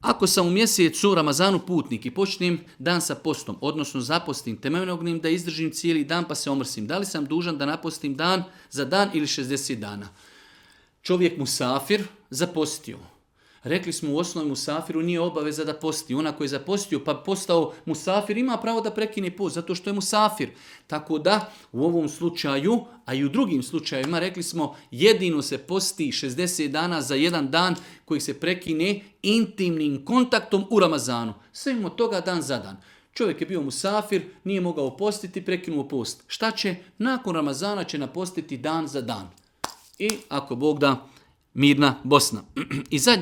Ako sam u mjesecu Ramazanu putnik i počnem dan sa postom, odnosno zapostim, te me mognem da izdržim cijeli dan pa se omrsim, da li sam dužan da napostim dan za dan ili 60 dana? Čovjek musafir zapostio. Rekli smo u osnovi musafiru nije obaveza da posti. Ona koji je zapostio pa postao musafir ima pravo da prekine post zato što je musafir. Tako da u ovom slučaju, a i u drugim slučajevima rekli smo jedino se posti 60 dana za jedan dan koji se prekine intimnim kontaktom u Ramazanu. Sve mimo toga dan za dan. Čovjek je bio musafir, nije mogao postiti, prekinuo post. Šta će? Nakon Ramazana će napostiti dan za dan. I ako Bog da, mirna Bosna. I zadnje